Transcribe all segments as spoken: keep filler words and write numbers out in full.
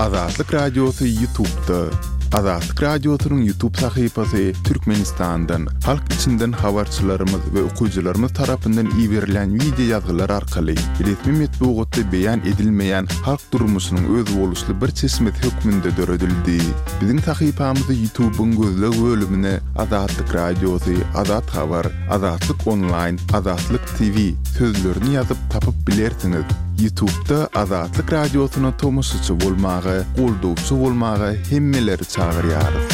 Azatlyk Radiosy YouTube'da. Azatlyk Radiosynyň YouTube sahypasy Türkmenistandan, halk içinden habarçylarymyz we okyjylarymyz tarapyndan iberilen wideo ýazgylar arkaly resmi metbugatda beýan edilmeýän halk durmuşynyň özboluşly bir çeşmesi hökmünde döredildi. Biziň sahypamyzy YouTube'yň gözleg bölümine Azatlyk Radiosy, Azat Habar, Azatlyk Online, Azatlyk T V sözlerini ýazyp tapyp bilersiňiz. YouTube'da Azatlyk Radiosyna tomaşaçy bolmaga, goldawçy bolmaga hemmeleri çagyrýarys.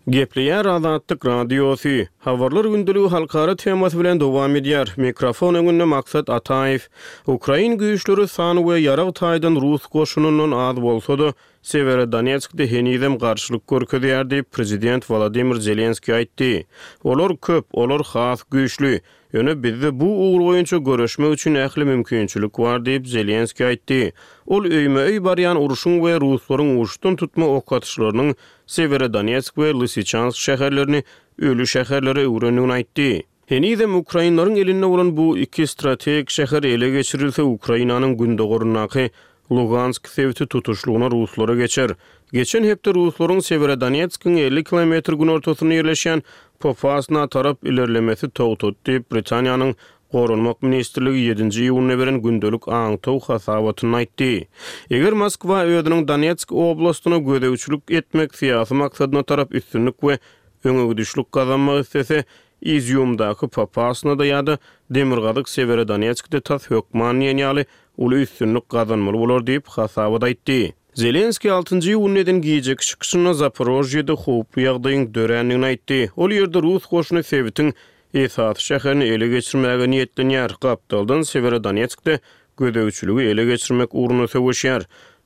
Gepleýär Azatlyk Radiosy. Habarlar gündeligi halkara temasy bilen dowam edýär. Mikrofon öňünde Maksat Ataýew. Ukrain güýçleri san we ýarag taýdan rus goşunyndan az bolsa-da, Severodonetskde henizem garşylyk görkezýär diýip prezident Volodymyr Zelenskiý aýtdy. Olar köp, olar has güýçli. Ýöne bizde bu ugur boýunça görüşmek üçin ähli mümkinçilik bar diýip Zelenskiý aýtdy. Ol öýme-öý barýan urşuň we ruslaryň uçdan tutma ok atyşlarynyň Severodonetsk we Lysyçansk şäherlerini ölü şäherlere öwrendigini aýtdy. Henizem Ukrainlaryň elinde bolan bu iki strategik şäher ele geçirilse Ukrainanyň gündogorundaky Lugansk sebiti tutuşlygyna ruslara geçer. Geçen hepde ruslaryň Severodonetskiň elli kilometr günortasynda ýerleşen Popasna tarap ilerlemesi togtatdy diýip Britaniýanyň Goranmak ministrligi ýedinji iýunda beren gündelik aňtaw hasabatyny aýtdy. Eger Moskwa özüniň Donetsk oblastyna gözegçilik etmek syýasy maksadyna tarap üstünlik we öňegidişlik gazanmak istese, Iziumdaky Popasnada ýa-da Demirgazyk Severodonetskde tas hökman diýen ýaly uly üstünlik gazanmaly bolar diýip hasabat aýtdy. Zelenskiý altynjy iýunda eden gijeki çykyşynda Zaporojýede howply ýagdaýyň dörändigini aýtdy. Ol ýerde rus goşuny sebitiň esasy şäherini ele geçirmäge niýetlenýär. Gapdaldan Severodonetskde gözegçiligi ele geçirmek ugrunda söweşýär.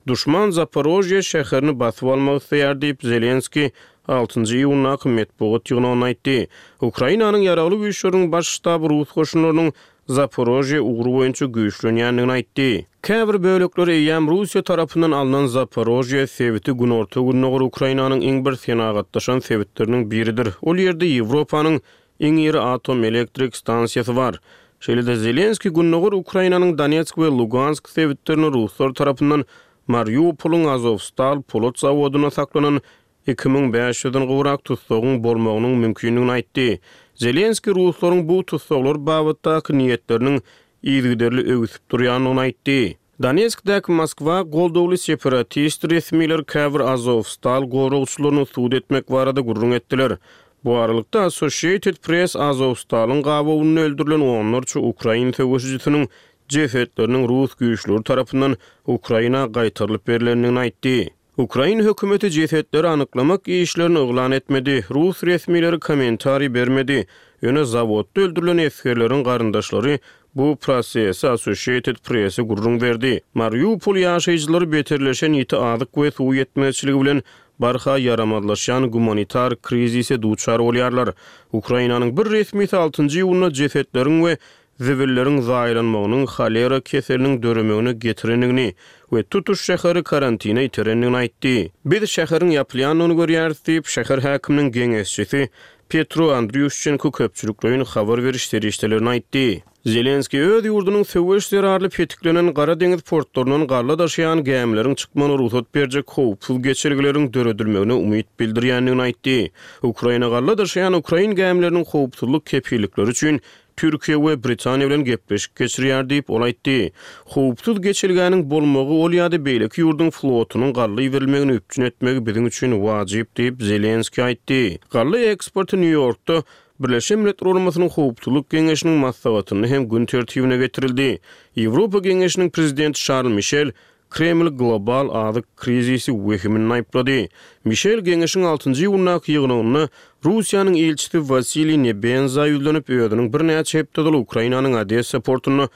Duşman Zaporojýe şäherini basyp almak isleýär diýip Zelenskiý altynjy iýundaky metbugat ýygnagyny aýtdy. Ukrainanyň ýaragly güýçleriniň baş ştaby rus goşunlarynyň Zaporojýe ugry boýunça güýçlenýändigini aýtdy. Käbir bölekler eýýäm Russiýa tarapyndan alnan Zaporojýe sebiti günorta gündogar Ukrainanyň iň bir senagatlaşan sebitleriniň biridir. Ol ýerde Ýewropanyň iň iri atom elektrik stansiýasy bar. Şeýle-de Zelenskiý gündogar Ukrainanyň Donetsk we Lugansk sebitlerini ruslar tarapyndan Mariupolyň Azovstal polat zawodynda saklanan iki müň bäş ýüzden gowrak tutsagyň bolmagynyň mümkindigini aýtdy. Zelenskiý ruslaryň bu tutsaglar babatdaky niýetleriniň yzygiderli öwüsip durýandygyny aýtdy. Donetskdäki Moskwa goldawly separatist resmiler käbir Azovstal goragçylaryny sud etmek barada gürrüň etdiler. Bu aralykda Associated Press Azovstalyň gabawynda öldürilen onlarça ukrain söweşijisiniň jesetleriniň rus güýçleri tarapyndan Ukraina gaýtarylyp berilendigini aýtdy. Ukrain hökümeti jesetleri anyklamak işlerini yglan etmedi. Rus resmileri kommentariý bermedi. Ýöne zawodda öldürilen esgerleriň garyndaşlary bu prosesi Associated Press-e gürrüň berdi. Mariupol ýaşaýjylary beterleşen ýiti azyk we suw ýetmezçiligi bilen barha ýaramazlaşýan gumanitar krizise duçar bolýarlar. Ukrainanyň bir resmisi altynjy iýunda jesetleriň we zibilleriň zaýalanmagynyň holera keseliniň döremegine getirendigini we tutuş şäheri karantina iterendigini aýtdy. Biz şäheriň ýapylýandygyny görýäris diýip, şäher häkiminiň geňeşçisi Petro Andriýuşçenko köpçülikleýin habar beriş serişdelerini aýtdy. Zelenskiý öz ýurdunyň söweş zerarly petiklenen Gara deňiz portlaryndan galla daşaýan gämileriň çykmagyna rugsat berjek howpsuz geçelgeleriň döredilmegine umyt bildirýändigini aýtdy. Ukraina galla daşaýan ukrain gämileriniň howpsuzlyk kepillikleri üçin Türkiýe we Britaniýa bilen gepleşik geçirýär diýip ol aýtdy. Howpsuz geçelgäniň bolmagy ol ýa-da beýleki ýurduň flotunyň galla iberilmegini üpjün etmegi biziň üçin wajyp diýip Zelenskiý aýtdy. Galla eksporty Nýu-Ýorkda Birleşen Milletler Guramasynyň Howpsuzlyk Geňeşiniň maslahatynda hem gün tertibine getirildi. Ýewropa Geňeşiniň prezidenti Şarl Mişel Kreml global azyk krizisi wehimini aýyplady. Mişel Geňeşiň altynjy iýundaky ýygnagynda Russiýanyň ilçisi Wasiliý Nebenza ýüzlenip, özüniň birnäçe hepde ozal Ukrainanyň Odessa portunda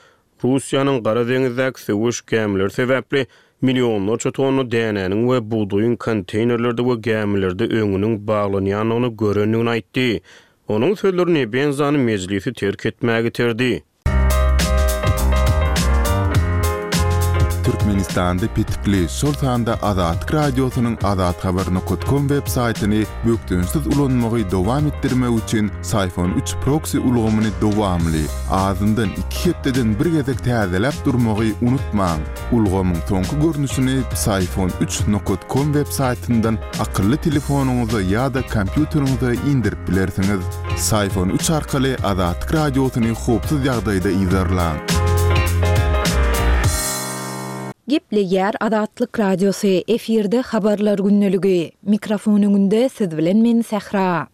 Russiýanyň Gara deňizdäki söweş gämileri sebäpli millionlarça tonna dänäniň we bugdaýyň konteynerlerde we gämilerde öňüniň baglanýandygyny görendigini aýtdy. Onuň sözleri Nebenzany mejlisi terk etmäge iterdi. Türkmenistanda petikli, şol sanda Azatlyk Radiosynyň azathabar nokat kom web saýtyny bökdençsiz ulanmagy dowam etdirmek üçin Syfon üç proksi ulgamyny dowamly, azyndan iki hepdeden bir gezek täzeläp durmagy unutmaň. Ulgamyň soňky görnüşini Syfon üç nokat kom web saýtyndan akylly telefonyňyza ýa-da kompýuteriňize indirip bilersiňiz. Syfon üç arkaly Azatlyk Radiosyny howpsuz ýagdaýda yzarlaň. Gepleýär Azatlyk Radiosy, efirde habarlar gündeligi. Mikrofon öňünde siz bilen men Sähra.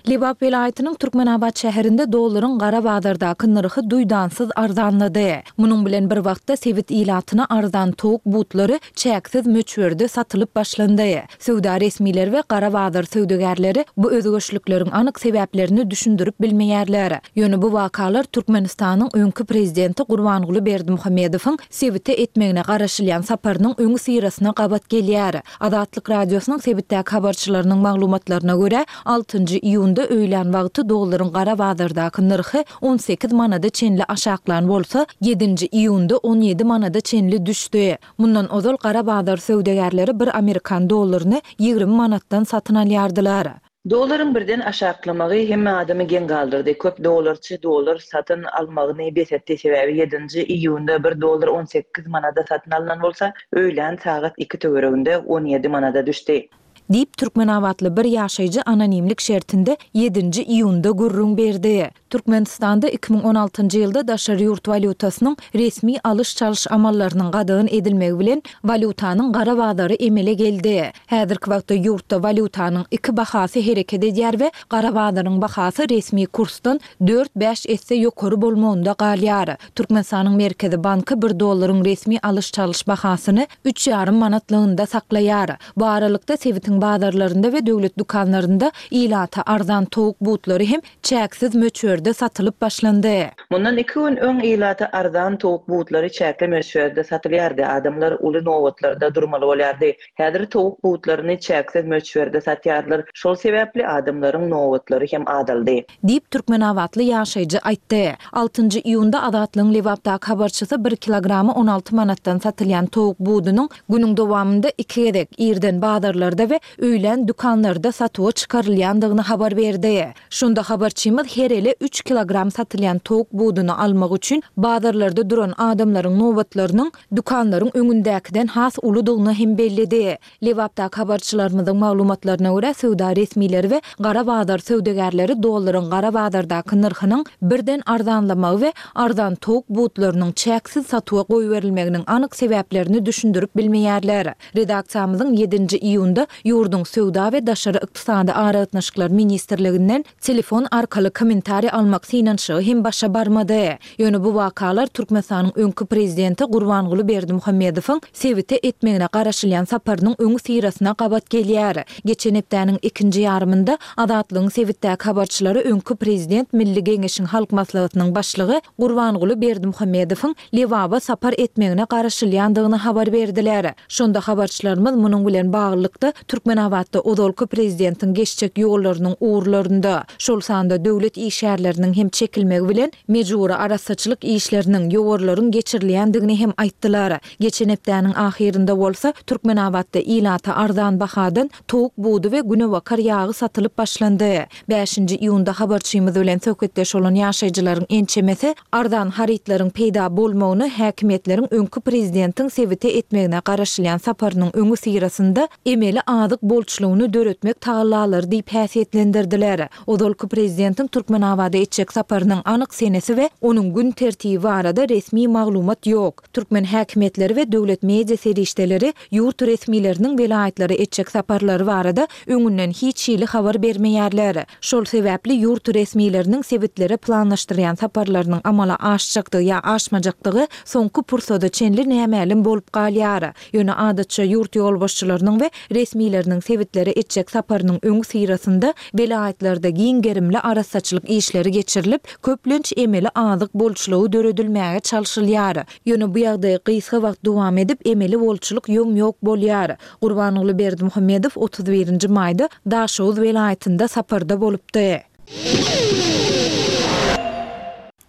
Lebap welaýatynyň Türkmenabat şäherinde dollaryň gara bazardaky nyrhy duýdansyz arzanlady. Munuň bilen bir wagtda sebit ilatyna arzan towuk butlary çäksiz möçberde satylyp başlandy. Söwda resmileri we gara bazar söwdagärleri bu özgerişlikleriň anyk sebäplerini düşündirip bilmeýärler. Ýöne bu wakalar Türkmenistanyň öňki prezidenti Gurbanguly Berdimuhamedowyň sebite etmegine garaşylýan saparynyň öňi syrasyna gabat gelýär. Azatlyk Radiosynyň sebitdäki habarçylarynyň maglumatlaryna görä, altynjy iýunda öýlän wagty dollaryň gara bazardaky nyrhy on sekiz manada çenli aşaklan bolsa, ýedinji iýunda on ýedi manada çenli düşdi. Mundan ozal gara bazar söwdagärleri bir amerikan dollaryny ýigrimi manatdan satyn alýardylar. Dollaryň birden aşaklamagy hemme adamy geň galdyrdy. Köp dollarçy dollar satyn almagyny bes etdi. Sebäbi ýedinji iýunda bir dollar on sekiz manada satyn alynan bolsa, öýlän sagat iki töwereginde on ýedi manada düşdi. Diýip Türkmenabatly bir ýaşaýjy anonimlik şertinde ýedinji iýunda gürrüň berdi. Türkmenistanda iki müň on altynjy ýylda daşary ýurt walýutasynyň resmi alyş-çalyş amallarynyň gadagan edilmegi bilen walýutanyň gara bazary emele geldi. Häzirki wagtda ýurtda walýutanyň iki bahasy hereket edýär we gara bazaryň bahasy resmi kursdan dört-bäş esse ýokary bolmagynda galýar. Türkmenistanyň Merkezi banky bir dollaryň resmi alyş-çalyş bahasyny üç ýarym manatlygynda saklaýar. Bu aralykda sebitiň bazarlarynda we döwlet dükanlarynda ilata arzan towuk butlary hem çäksiz möçberde satylyp başlandy. Mundan iki gün öň ilata arzan towuk butlary çäkli möçberde satylýardy. Adamlar uly nobatlarda durmaly bolýardy. Häzir towuk butlaryny çäksiz möçberde satýarlar. Şol sebäpli adamlaryň nobatlary hem azaldy. Diýip Türkmenabatly ýaşaýjy aýtdy. Altynjy iýunda Azatlygyň Lebapdaky habarçysy bir kilogramy on alty manatdan satylýan towuk budunyň günüň dowamynda iki gezek irden bazarlarda we öýlän dükanlarda satuwa çykarylýandygyny habar berdi. Şunda habarçymyz her ele üç kilogram satylýan towuk buduny almak üçin bazarlarda duran adamlaryň nobatlarynyň dükanlaryň öňündäkiden has uludygyny hem belledi. Lebapdaky habarçylarymyzyň maglumatlaryna görä söwda resmileri we gara bazar söwdagärleri dollaryň gara bazardaky nyrhynyň birden arzanlamagy we arzan towuk butlarynyň çäksiz satuwa goýberilmeginiň anyk sebäplerini düşündirip bilmeýärler. Redaksiýamyzyň ýedinji iýunda ýurduň söwda we daşary ykdysady aragatnaşyklar ministrliginden telefon arkaly kommentariý almak synanyşygy hem başa barmady. Ýöne bu wakalar Türkmenistanyň öňki prezidenti Gurbanguly Berdimuhamedowyň sebite etmegine garaşylýan saparynyň öňi syrasyna gabat gelýär. Geçen hepdäniň ikinji ýarymynda Azatlygyň sebitdäki habarçylary öňki prezident Milli Geňeşiň Halk Maslahatynyň başlygy Gurbanguly Berdimuhamedowyň Lebaba sapar etmegine garaşylýandygyny habar berdiler. Şonda habarçylarymyz munuň bilen baglylykda Türkmenabatda ozalky prezidentiň geçjek ýollarynyň ugurlarynda, şol sanda döwlet işgärleriniň hem çekilmegi bilen mejbury arassaçylyk işleriniň, ýowarlaryň geçirilýändigini hem aýtdylar. Geçen hepdäniň ahyrynda bolsa Türkmenabatda ilata arzan bahadan towuk budy we günebakar ýagy satylyp başlandy. Bäşinji iýunda habarçymyz bilen söhbetdeş bolan ýaşaýjylaryň ençemesi arzan harytlaryň peýda bolmagyny häkimiýetleriň öňki prezidentiň sebite etmegine garaşylýan saparynyň öňi syrasynda emeli azyk bolçulygyny döretmek tagallalary diýip häsiýetlendirdiler. Ozalky prezidentiň Türkmenabada etjek saparynyň anyk senesi we onuň gün tertibi barada resmi maglumat ýok. Türkmen häkimiýetleri we döwlet media serişdeleri ýurt resmileriniň welaýatlary etjek saparlary barada öňünden hiç hili habar bermeýärler. Şol sebäpli ýurt resmileriniň sebitlere planlaşdyrýan saparlarynyň amala aşjakdygy ýa aşmajakdygy soňky pursada çenli nämälim bolup galýar. Ýöne adatça ýurt ýolbaşçylarynyň we resmileriniň sebitlere etjek saparynyň öňi syrasynda welaýatlarda giň gerimli arassaçylyk işleri geçirilip, köplenç emeli azyk bolçulygy döredilmäge çalşylýar. Ýöne bu ýagdaý gysga wagt dowam edip, emeli bolçulyk ýom-ýok bolýar. Gurbanguly Berdimuhamedow otuz birinji maýda Daşoguz welaýatynda saparda bolupdy.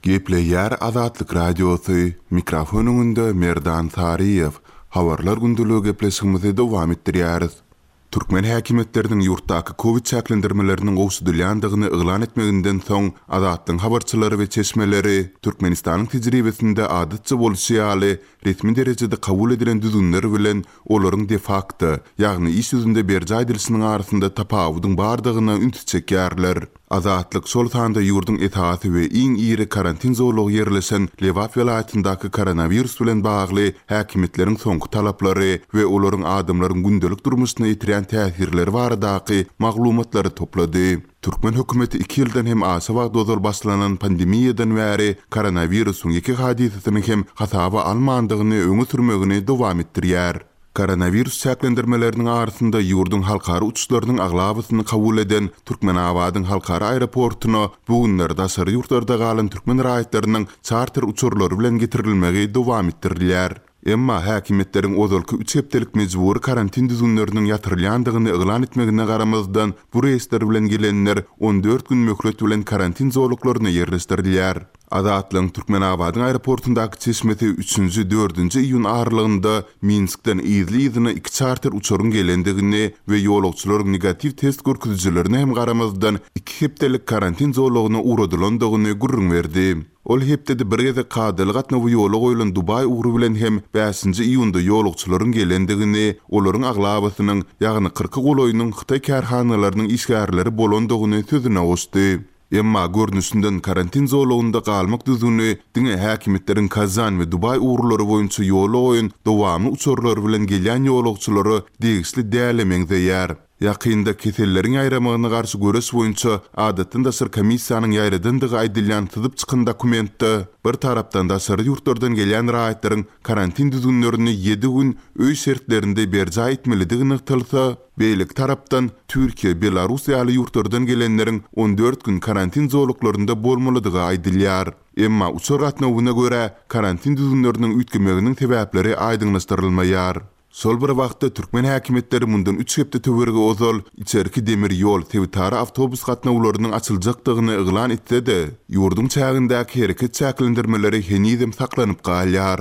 Gepleýär Azatlyk Radiosy, mikrofon öňünde Merdan Saryýew. Habarlar gündeligi gepleşigimizi dowam etdirýäris. Türkmen häkimiýetleriniň ýurtdaky kowid çäklendirmeleriniň gowşadylýandygyny yglan etmeginden soň, Azatlygyň habarçylary we çeşmeleri Türkmenistanyň tejribesinde adatça bolşy ýaly, resmi derejede kabul edilen düzgünler bilen olaryň de-fakto, ýagny iş ýüzünde berjaý edilişiniň arasynda tapawudyň bardygyna ünsi çekýärler. Azatlyk şol sanda ýurduň esasy we iň iri karantin zolagy ýerleşen Lebap welaýatyndaky koronawirus bilen bagly häkimiýetleriň soňky talaplary we olaryň adamlaryň gündelik durmuşyna ýetirýän täsirleri baradaky maglumatlary toplady. Türkmen hökümeti iki ýyldan hem aşa wagt ozal başlanan pandemiýadan bäri koronawirusyň ýeke hadysasyny hem hasaba almandygyny öňe sürmegini dowam etdirýär. Koronawirus çäklendirmeleriniň arasynda ýurduň halkara uçuşlarynyň aglabasyny kabul eden Türkmenabadyň halkara aeroportuna bu günler daşary ýurtlarda galan türkmen raýatlarynyň çarter uçarlary bilen getirilmegi dowam etdirilýär. Emma häkimiýetleriň ozalky üç hepdelik mejbury karantin düzgünleriniň ýatyrylýandygyny yglan etmegine garamazdan, bu reýsler bilen gelenler on dört gün möhlet bilen karantin zolaklaryna ýerleşdirilýär. Azatlygyň Türkmenabadyň aeroportundaky çeşmesi üçünji, dördünji iýun aralygynda Minskden yzly-yzyna iki çarter uçaryň gelendigini we ýolagçylaryň negatiw test görkezijilerine hem garamazdan iki hepdelik karantin zolagyna ugradylandygyny gürrüň berdi. Ol hepdede bir gezek kadaly gatnawy ýola goýlan Dubaý ugry bilen hem bäşinji iýunda ýolagçylaryň gelendigini, olaryň aglabasynyň, ýagny kyrka golaýynyň hytaý kärhanalarynyň işgärleri bolandygyny sözüne goşdy. Emma görnüşinden karantin zolagynda galmak düzgüni diňe häkimiýetleriň Kazan we Dubaý ugurlary boýunça ýola goýan dowamly uçarlary bilen gelýän ýolagçylara degişli däle meňzeýär. Ýakynda keselleriň ýaýramagyna garşy göreş boýunça adatdan daşary komissiýanyň ýaýradandygy aýdylýan syzyp çykan dokumentde bir tarapdan daşary ýurtlardan gelýän raýatlaryň karantin düzgünlerini ýedi gün öý şertlerinde berjaý etmelidigi nygtalsa, beýleki tarapdan Türkiýe, Belarus ýaly ýurtlardan gelenleriň on dört gün karantin zolaklarynda bolmalydygy aýdylýar. Emma uçar gatnawyna görä karantin düzgünleriniň üýtgemeginiň sebäpleri aýdyňlaşdyrylmaýar. Şol bir wagtda türkmen häkimiýetleri mundan üç hepde töweregi ozal içerki demir ýol sebitara awtobus gatnawlarynyň açyljakdygyny yglan etse-de, ýurduň çägindäki hereket çäklendirmeleri henizem saklanyp galýar.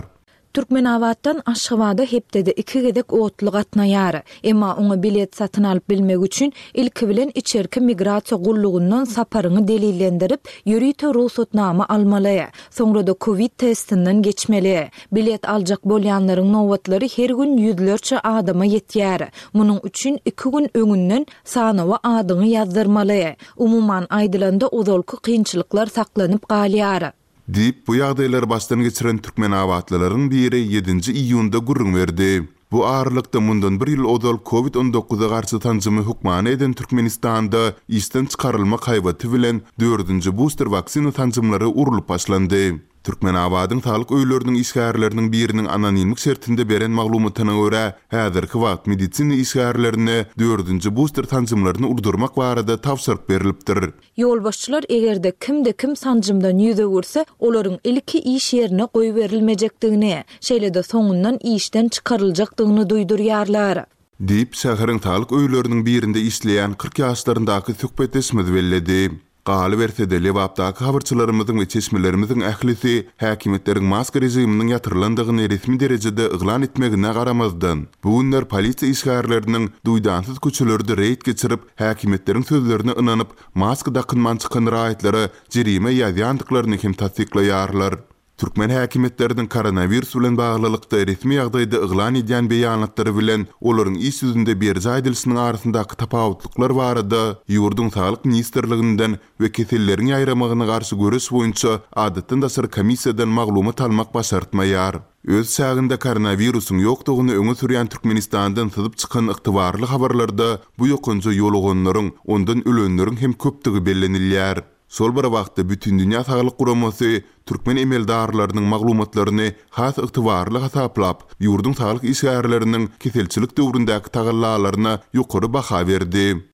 Türkmenabatdan Aşgabada hepdede iki gezek otly gatnaýar. Emma oňa bilet satyn alyp bilmek üçin ilki bilen içerki migrasiýa gullugyndan saparyňy delillendirip, ýörite rugsatnama almaly. Soňra da COVID testinden geçmeli. Bilet aljak bolýanlaryň nobatlary her gün ýüzlerçe adama ýetýär. Munuň üçin iki gün öňünden sanawa adyňy ýazdyrmaly. Umuman aýdylanda ozalky kynçylyklar saklanyp galýar. Diýip, bu ýagdaýlary başdan geçiren türkmenabatlylaryň biri ýedinji iýunda gürrüň berdi. Bu aralykda mundan bir ýyl ozal COVID on dokuza garşy sanjymy hökmany eden Türkmenistanda işden çykarylmak haýbaty bilen dördünji booster waksina sanjymlary urulyp başlandy. Türkmenabadyň saglyk öýleriniň işgärleriniň biriniň anonimlik şertinde beren maglumatyna görä, häzirki wagt medisina işgärlerine dördünji booster sanjymlaryny urdurmak barada tabşyryk berilipdir. Ýolbaşçylar egerde kimde kim sanjymdan ýüz öwürse, olaryň ilki iş ýerine goýberilmejekdigini, şeýle-de soňundan işden çykaryljakdygyny duýdurýarlar. Diýip, şäheriň saglyk öýleriniň birinde işleýän kyrk ýaşlaryndaky söhbetdeşimiz belledi. Galyberse-de Lebapdaky habarçylarymyzyň we çeşmelerimiziň ählisi häkimiýetleriň maska režiminiň ýatyrylandygyny resmi derejede yglan etmegine garamazdan, bu günler polisiýa işgärleriniň duýdansyz köçelerde reýd geçirip, häkimiýetleriň sözlerine ynanyp, maska dakynman çykan raýatlara jerime ýazýandyklaryny hem tassyklaýarlar. Türkmen häkimiýetleriniň koronawirus bilen baglylykda resmi ýagdaýda yglan edýän beýanatlary bilen olaryň iş ýüzünde berjaý edilişiniň arasyndaky tapawutlyklar barada ýurduň Saglyk ministrliginden we keselleriň ýaýramagyna garşy göreş boýunça adatdan daşary komissiýadan maglumat almak başartmaýar. Öz çäginde koronawirusyň ýokdugyny öňe sürýän Türkmenistandan syzyp çykan ygtybarly habarlarda bu ýokanja ýoluganlaryň, ondan ölenleriň hem köpdügi bellenilýär. Şol bir wagtda Bütindünýä Saglyk Guramasy türkmen emeldarlarynyň maglumatlaryny has ygtybarly hasaplap, ýurduň saglyk işgärleriniň keselçilik döwründäki tagallalaryna ýokary baha berdi.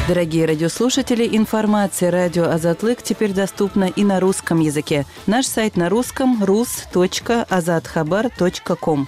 Дорогие радиослушатели, информация радио Азатлык теперь доступна и на русском языке. Наш сайт на русском рус точка азатхабар точка ком.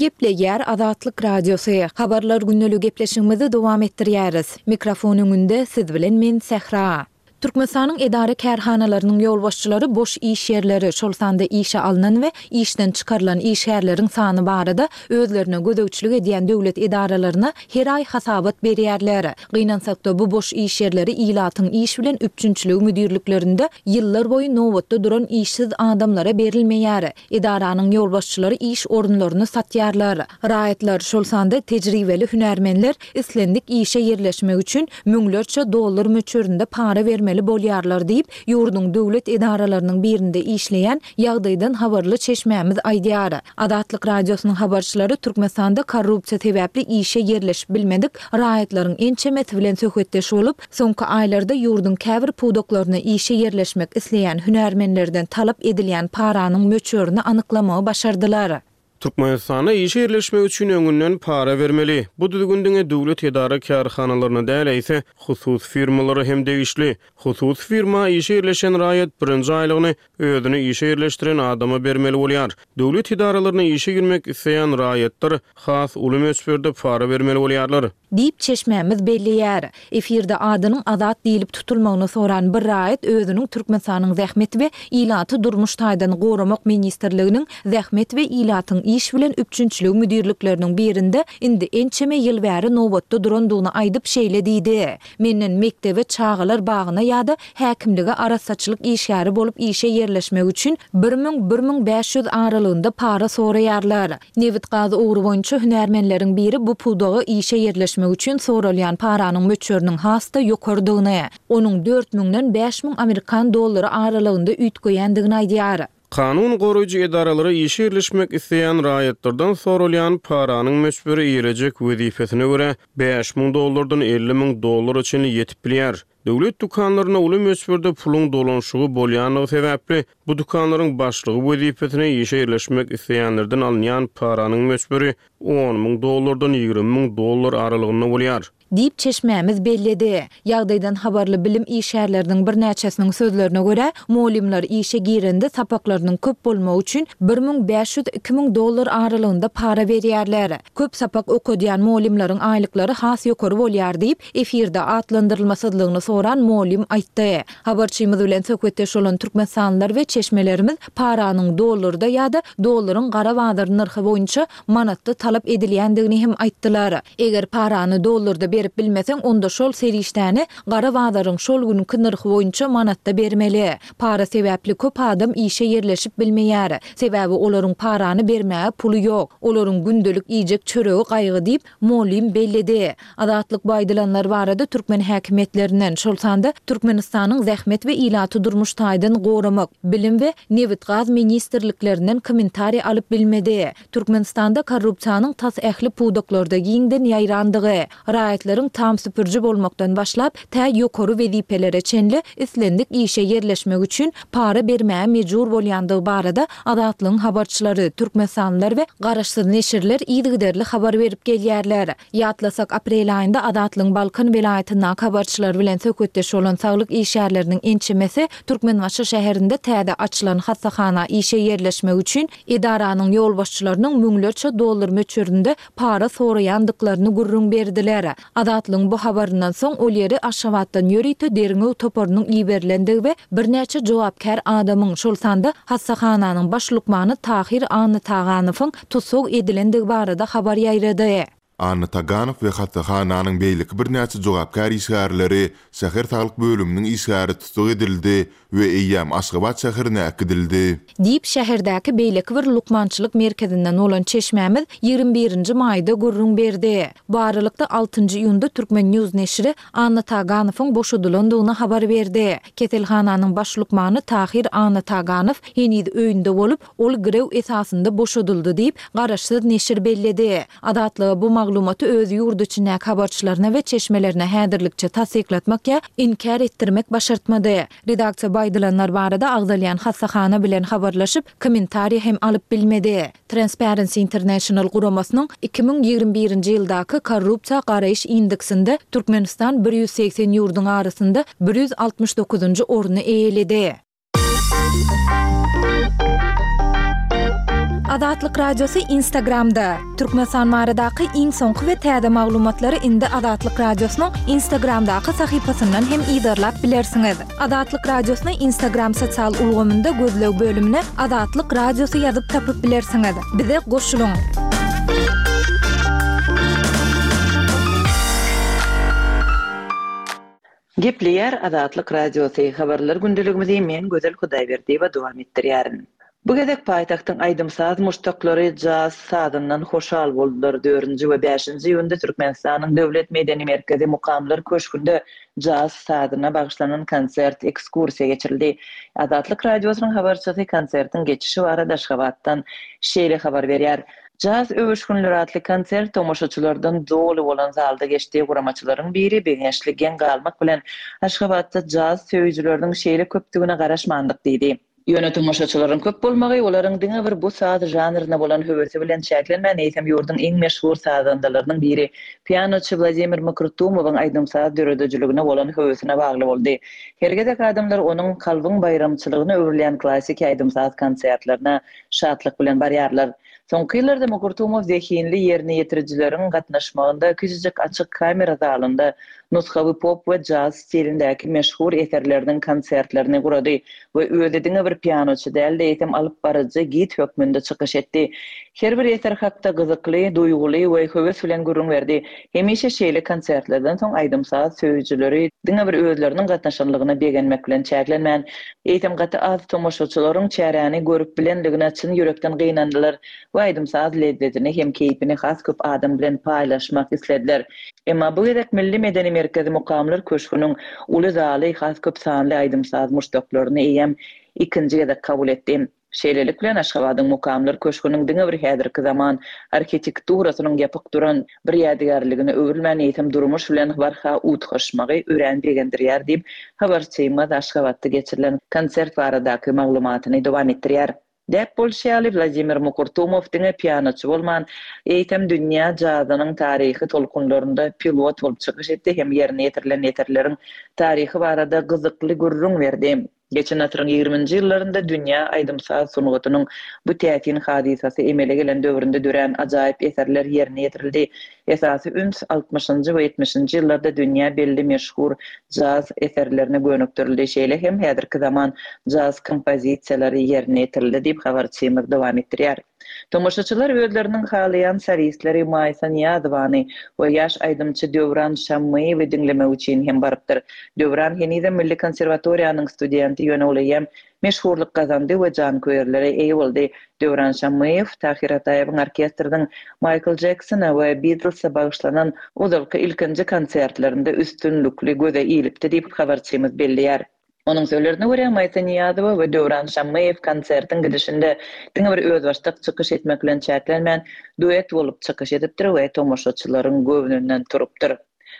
Gepleýär Azatlyk Radiosy, Habarlar gündeligi gepleşigimizi dowam etdirýäris. Mikrofon öňünde siz bilen men Sähra. Türkmenistanyň edara-kärhanalarynyň ýolbaşçylary boş iş ýerleri, şol sanda işe alnan we işden çykarylan işgärleriň sany barada özlerine gözegçilik edýän döwlet edaralaryna her aý hasabat berýärler. Gynansakda, bu boş iş ýerleri ilatyň iş bilen üpjünçiligi müdirliklerinde ýyllar boýy nobatda duran işsiz adamlara berilmeýär. Edaranyň ýolbaşçylary iş orunlaryny satýarlar. Raýatlar, şol sanda tejribeli hünärmenler islendik işe ýerleşmek üçin müňlerçe dollar möçberinde para bermeli bolýarlar diýip, ýurduň döwlet edaralarynyň birinde işleýän ýagdaýdan habarly çeşmämiz aýdýar. Azatlyk Radiosynyň habarçylary Türkmenistanda korrupsiýa sebäpli işe ýerleşip bilmedik raýatlaryň ençemesi bilen söhbetdeş bolup, soňky aýlarda ýurduň käbir pudaklaryna işe ýerleşmek isleýän hünärmenlerden talap edilýän paranyň möçberini anyklamagy başardylar. Türkmenistanda işe ýerleşmek üçin öňünden para bermeli. Bu düzgün diňe döwlet edara-kärhanalaryna däl, eýse, hususy firmalara hem degişli. Hususy firma işe ýerleşen raýat birinji aýlygyny özüni işe ýerleşdiren adama bermeli bolýar. Döwlet edaralaryna işe girmek isleýän raýatlar has uly möçberde para bermeli bolýarlar. Diýip, çeşmämiz belleýär. Efirde adynyň Azat diýlip tutulmagyny soran bir raýat özüniň Türkmenistanyň Zähmet we ilaty durmuş taýdan goramak ministrliginiň Zähmet we ilatyň iş bilen üpjünçiligi müdirlikleriniň birinde indi ençeme ýyl bäri nobatda durandygyny aýdyp şeýle diýdi, Menden mekdebe, çagalar bagyna ýa-da häkimlige arassaçylyk işgäri bolup işe ýerleşmek üçin bir müň, bir müň bäş ýüz aralygynda para soraýarlar. Nebit-gaz ugry boýunça hünärmenleriň biri bu pudaga işe ýerleşmek üçin soralýan paranyň möçberiniň has-da ýokarydygyny, onuň dört müňden bäş müň amerikan dollary aralygynda üýtgeýändigini aýdýar. Kanun goraýjy edaralara işe ýerleşmek isleýän raýatlardan soralýan paranyň möçberi eýelejek wezipesine görä bäş müň dollardan elli müň dollara çenli ýetip bilýär. Döwlet dükanlarynda uly möçberde puluň dolanyşygy bolýanlygy sebäpli, bu dükanlaryň başlygy wezipesine işe ýerleşmek isleýänlerden alynýan paranyň möçberi on müň dollardan ýigrimi müň dollar aralygynda bolýar. Diýip, çeşmämiz belledi. Ýagdaýdan habarly bilim işgärleriniň birnäçesiniň sözlerine görä, mugallymlar işe girende sapaklarynyň köp bolmagy üçin bir müň bäş ýüz, iki müň dollar aralygynda para berýärler. Köp sapak okadýan mugallymlaryň aýlyklary has ýokary bolýar diýip, efirde atlandyrylmasyzlygyny soran mugallym aýtdy. Habarçymyz bilen söhbetdeş bolan türkmenistanlylar we çeşmelerimiz paranyň dollarda ýa-da dollaryň gara bazar nyrhy boýunça manatda talap edilýändigini hem aýtdylar. Eger parany dollarda berip bilmeseň, onda şol serişdäni gara bazaryň şol günki nyrhy boýunça manatda bermeli. Para sebäpli köp adam işe ýerleşip bilmeýär. Sebäbi olaryň parany bermäge puly ýok. Olaryň gündelik iýjek çöregi gaýgy diýip, mugallym belledi. Azatlyk bu aýdylanlar barada türkmen häkimiýetlerinden, şol sanda Türkmenistanyň Zähmet we ilaty durmuş taýdan goramak, Bilim we Nebit-gaz ministrliklerinden kommentariý alyp bilmedi. Türkmenistanda korrupsiýanyň tas ähli pudaklarda giňden ýaýrandygy, raýatlaryň tam süpüriji bolmakdan başlap, tä ýokary wezipelere çenli islendik işe ýerleşmek üçin para bermäge mejbur bolýandygy barada Azatlygyň habarçylary, türkmenistanlylar we garaşsyz neşirler yzygiderli habar berip gelýärler. Ýatlasak, aprel aýynda Azatlygyň Balkan welaýatyndaky habarçylary bilen söhbetdeş bolan saglyk işgärleriniň ençemesi Türkmenbaşy şäherinde täze açylan hassahana işe ýerleşmek üçin edaranyň ýolbaşçylarynyň müňlerçe dollar möçberinde para soraýandyklaryny gürrüň berdiler. Azatlygyň bu habaryndan soň ol ýere Aşgabatdan ýörite derňew toparynyň iberilendigi we birnäçe jogapkär adamyň, şol sanda hassahananyň baş lukmany Tahyr Annataganowyň tussag edilendigi barada habar ýaýrady. Annataganow we hassahananyň beýleki birnäçe jogapkär işgärleri şäher saglyk bölüminiň işgäri tussag edildi we eýýäm Aşgabat şäherine äkidildi. Diýip, şäherdäki beýleki bir lukmançylyk merkezinden bolan çeşmämiz ýigrimi birinji maýda gürrüň berdi. Bu aralykda, altynjy iýunda Turkmen. News neşiri Annataganowyň boşadylandygyny habar berdi. Keselhananyň baş lukmany Tahyr Annataganow heniz öýünde bolup, ol girew esasynda boşadyldy diýip, garaşsyz neşir belledi. Azatlyga bu maglumaty öz ýurt içindäki habarçylaryna we çeşmelerine häzirlikçe tassyklatmak ýa inkär etdirmek başartmady. Redaksiýa bu aýdylanlar barada agzalýan hassahana bilen habarlaşyp, kommentariý hem alyp bilmedi. Transparency International guramasynyň iki müň ýigrimi birinji ýyldaky korrupsiýa garaýyş indeksinde Türkmenistan bir ýüz segsen ýurduň arasynda bir ýüz altmyş dokuzynjy orny eýeledi. Azatlyk Radiosy Instagramda. Türkmenistan baradaky iň soňky we täze maglumatlary indi Azatlyk Radiosynyň Instagramdaky sahypasyndan hem yzarlap bilersiňiz. Azatlyk Radiosyny Instagram sosial ulgamynda gözleg bölümine Azatlyk Radiosy ýazyp tapyp bilersiňiz. Bize goşulyň. Gepleýär Azatlyk Radiosy, Habarlar gündeligimizi men Gözel Hudaýberdiýewa dowam etdirýärin. Bu gezek paýtagtyň aýdym-saz muşdaklary jaz sazyndan hoşal boldular. Dördünji we bäşinji iýunda Türkmenistanyň Döwlet medeni merkezi Mukamlar köşgünde jaz sazyna bagyşlanan konsert ekskursiýa geçirildi. Azatlyk Radiosynyň habarçysy konsertiň geçişi barada Aşgabatdan şeýle habar berýär. Jaz öwüşginleri atly konsert tomaşaçylardan doly bolan zalda geçdi. Guramaçylaryň biri begençli geň galmak bilen Aşgabatda jaz söýüjileriniň şeýle köpdügine garaşmandyk diýdi. Ýöne tomaşaçylaryň köp bolmagy olaryň diňe bir bu saz žanryna bolan höwesi bilen çäklenmän, eýsem ýurduň iň meşhur sazandalarynyň biri, pianoçy Wladimir Makrutumowyň aýdym-saz döredijiligine bolan höwesine bagly boldy. Her gezek adamlar onuň kalbyň baýramçylygyna öwrülýän klassiki aýdym-saz konsertlerine şatlyk bilen barýarlar. Soňky ýyllarda Mukurtumow zehinli ýerine ýetirijileriň gatnaşmagynda kiçijik açyk kamera zalynda nusgawy pop we jaz stilindäki meşhur eserleriniň konsertlerini gurady we özi diňe bir pianoçy däl-de, eýsem alyp baryjy, gid hökmünde çykyş etdi. Her bir eser hakda gyzykly, duýguly we höwes bilen gürrüň berdi. Hemişe şeýle konsertlerden soň aýdym-saz söýüjileri diňe bir özleriniň gatnaşanlygyna begenmek bilen çäklenmän, eýsem gaty az tomaşaçylaryň çäräni görüp bilenligine çyn ýürekden gynandylar we aýdym-saz lezzetini hem keýpini has köp adam bilen paýlaşmak islediler. Emma bu gezek Milli medeni merkezi Mukamlar köşgüniň uly zaly has köp sanly aýdym-saz muşdaklaryny eýýäm ikinji gezek kabul etdi. Şeýlelik bilen, Aşgabadyň Mukamlar köşgüniň diňe bir häzirki zaman arhitekturasynyň ýapyk duran bir ýadygärligine öwrülmän, eýsem durmuş bilen barha utgaşmagy örän begendirýär diýip, habarçymyz Aşgabatda geçirilen konsert baradaky maglumatyny dowam etdirýär. Däp bolşy ýaly, Wladimir Mukurtumow diňe pianoçy bolman, eýsem dünýä jazynyň taryhy tolkunlarynda pilot bolup çykyş etdi hem ýerine ýetirilen eserleriň taryhy barada gyzykly gürrüň berdi. Geçen asyryň ýigriminji ýyllarynda dünýä aýdym-saz sungatynyň bu täsin hadysasy emele gelen döwründe dörän ajaýyp eserler ýerine ýetirildi. Esasy üns altmyşynjy we ýetmişinji ýyllarda dünýä belli meşhur jaz eserlerine gönükdirildi, şeýle hem häzirki zaman jaz kompozisiýalary ýerine ýetirildi diýip, habarçymyz dowam etdirýär. Tomaşaçylar özleriniň halaýan solistleri Maýsa Nyýazowany we ýaş aýdymçy Döwran Şammyýewi diňlemek üçin hem barypdyr. Döwran henizem Milli konserwatoriýanyň studenti, ýöne ol eýýäm meşhurlyk gazandy we janköýerlere eýe boldy. Döwran Şammyýew Tahyr Ataýewiň orkestriniň Maýkl Jeksona we Bitlse bagyşlanan ozalky ilkinji konsertlerinde üstünlikli göze ilipdi diýip, habarçymyz belleýär. Onuň sözlerine görä, Maýsa Nyýazowa we Döwran Şammyýew konsertiň gidişinde diňe bir özbaşdak çykyş etmek bilen çäklenmän, duet bolup çykyş edipdir we tomaşaçylaryň göwnünden turupdyr.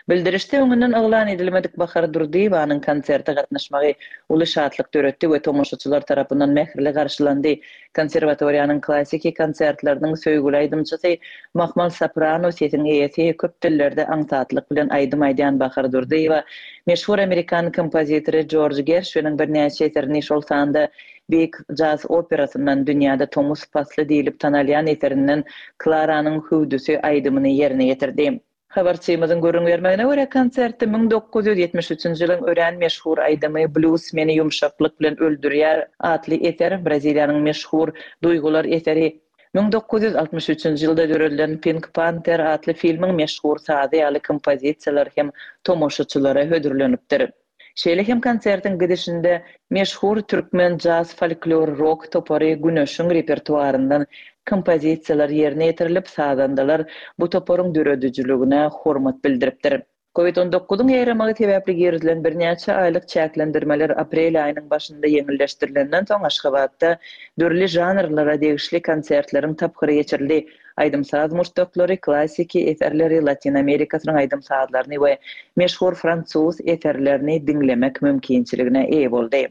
Bildirişde öňünden yglan edilmedik Bahar Durdyýewanyň konserte gatnaşmagy uly şatlyk döretdi we tomaşaçylar tarapyndan mähirli garşylandy. Konserwatoriýanyň klassiki konsertleriniň söýgüli aýdymçysy, mahmal soprano sesiň eýesi, köp dillerde aňsatlyk bilen aýdym aýdýan Bahar Durdyýewa meşhur amerikan kompozitory Jorj Gerşwiniň birnäçe eserini, şol sanda beýik jaz operasyndan Dünýäde tomus pasly diýlip tanalýan eserinden Klaranyň hüwdüsi aýdymyny ýerine ýetirdi. Habarçymyzyň gürrüň bermegine görä, konsertde müň dokuz ýüz ýetmiş üçünji ýylyň örän meşhur aýdymy Blýuz meni ýumşaklyk bilen öldürýär atly eser, Braziliýanyň meşhur Duýgular eseri, müň dokuz ýüz altmyş üçünji ýylda döredilen Pink Panter atly filmiň meşhur sazy ýaly kompozisiýalar hem tomaşaçylara hödürlenipdir. Şeýle hem konsertiň gidişinde meşhur türkmen jaz-folklor-rok topary Güneşiň repertuaryndan kompozisiýalar ýerine ýetirilip, sazandalar bu toparyň döredijiligine hormat bildiripdir. Covid on dokuzyň ýaýramagy sebäpli girizilen birnäçe aýlyk çäklendirmeler aprel aýynyň başynda ýeňilleşdirilenden soň Aşgabatda dürli žanrlara degişli konsertleriň tapgyry geçirildi. Aýdym-saz muşdaklary klassiki eserleri, Latyn Amerikasynyň aýdym-sazlaryny we meşhur fransuz eserlerini diňlemek mümkinçiligine eýe boldy.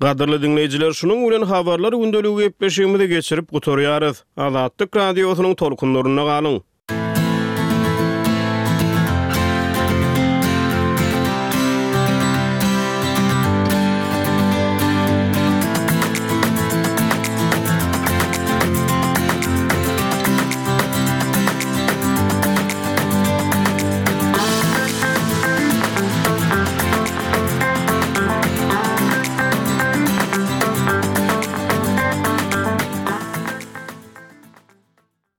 Gadyrly diňleýjiler, şunuň bilen habarlar gündeligi gepleşigimizi geçirip gutarýarys. Azatlyk radiosynyň tolkunlarynda galyň.